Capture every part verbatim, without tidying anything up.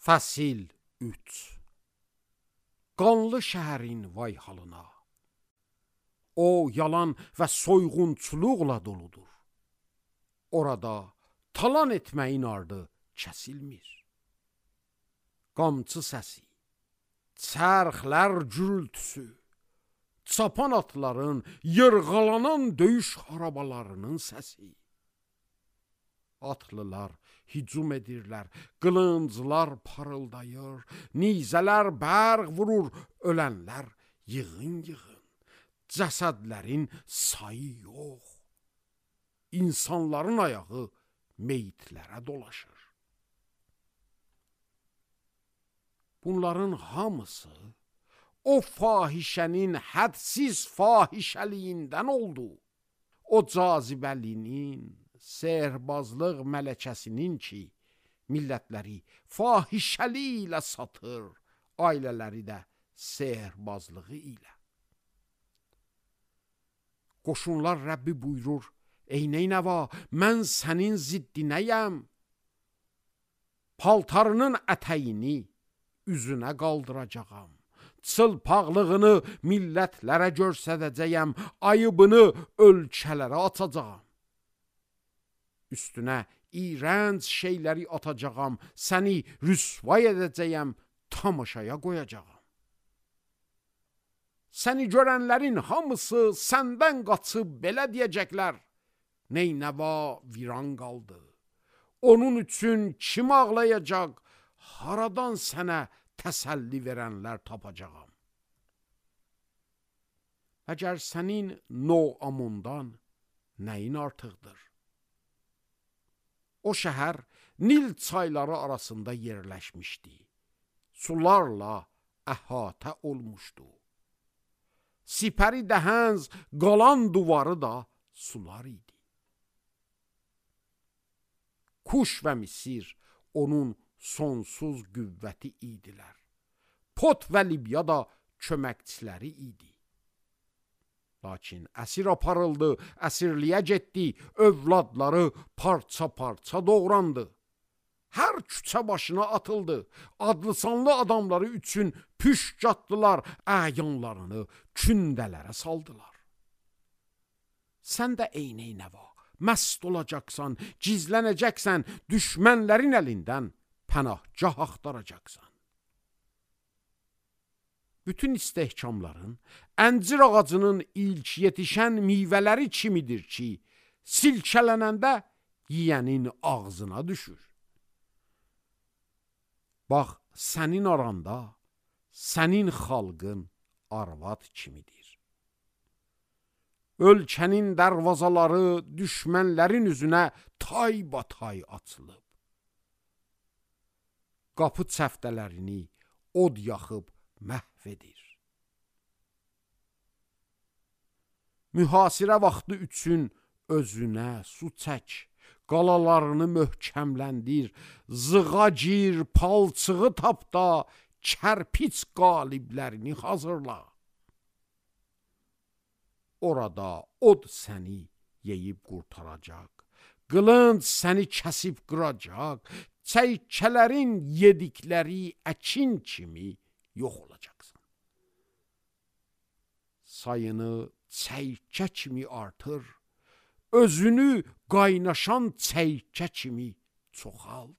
Fəsil üç. Qanlı şəhərin vay halına. O yalan və soyğunçuluqla doludur. Orada talan etməyin ardı kəsilmir. Qamçı səsi, çərxlər gürültüsü, çapan atların, yırğalanan döyüş arabalarının səsi. Atlılar hücum edirlər, qılınclar parıldayır, nizələr bərq vurur, ölənlər yığın-yığın, cəsədlərin sayı yox. İnsanların ayağı meyitlərə dolaşır. Bunların hamısı o fahişənin hədsiz fahişəliyindən oldu. O cazibəlinin, sehrbazlıq mələkəsinin ki, millətləri fahişəli ilə satır, ailələri də sehrbazlığı ilə. Qoşunlar Rəbbi buyurur, ey Neynəva, mən sənin ziddinəyəm. Paltarının ətəyini üzünə qaldıracağam. Çılpaqlığını millətlərə görsədəcəyəm, ayıbını ölkələrə atacağam. Üstünə iğrənc şeyləri atacağam, səni rüsvay edəcəyəm, tamaşaya qoyacağam. Səni görənlərin hamısı səndən qaçıb belə deyəcəklər, Neynəva viran qaldı. Onun üçün kim ağlayacaq, haradan sənə təsəlli verənlər tapacağam. Əgər sənin Noamundan nəyin artıqdır? O şəhər Nil çayları arasında yerləşmişdi. Sularla əhatə olmuşdu. Sipəri dəhənz qalan duvarı da sular idi. Kuş və Misir onun sonsuz qüvvəti idilər. Pot və Libya da köməkçiləri idi. Lakin əsir aparıldı, əsirliyə getdi, övladları parça-parça doğrandı. Hər küçə başına atıldı, adlı-sanlı adamları üçün püşk atdılar, əyanlarını kündələrə saldılar. Sən də ey Neynəva, məst olacaqsan, gizlənəcəksən, düşmənlərin əlindən pənahgah axtaracaqsan. Bütün istehkamların əncir ağacının ilk yetişən meyvələri kimidir ki, silkələnəndə yiyənin ağzına düşür. Bax, sənin aranda, sənin xalqın arvad kimidir. Ölkənin dərvazaları düşmənlərin üzünə taybatay açılıb. Qapı çəftələrini od yaxıb məhv edir. Mühasirə vaxtı üçün özünə su çək, qalalarını möhkəmləndir, zığa gir, palçığı tap da, kərpiç qaliblərini hazırla. Orada od səni yeyib qurtaracaq, qılınc səni kəsib qıracaq, çəykələrin yedikləri əkin kimi yox olacaqsan. Sayını çəykə kimi artır, özünü qaynaşan çəykə kimi çoxalt.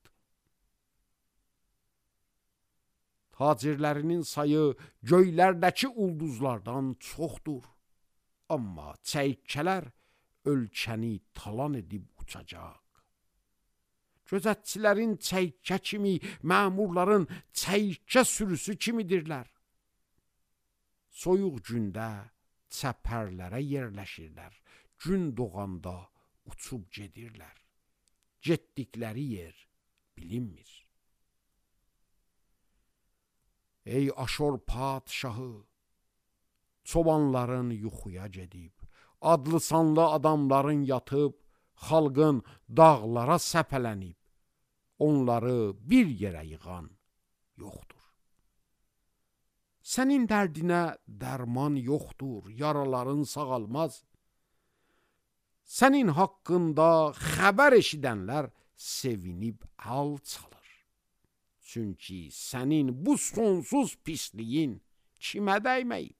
Tacirlərinin sayı göylərdəki ulduzlardan çoxdur. Amma çəykələr ölkəni talan edib uçacaq. Gözətçilərin çəykə kimi, məmurların çəykə sürüsü kimidirlər. Soyuq gündə çəpərlərə yerləşirlər, gün doğanda uçub gedirlər. Getdikləri yer bilinmir. Ey Aşor padşahı, çobanların yuxuya gedib, adlı-sanlı adamların yatıb, xalqın dağlara səpələnib, onları bir yerə yığan yoxdur. Sənin dərdinə dərman yoxdur, yaraların sağalmaz. Sənin haqqında xəbər eşidənlər sevinib əl çalır. Çünki sənin bu sonsuz pisliyin kimə dəyməyib?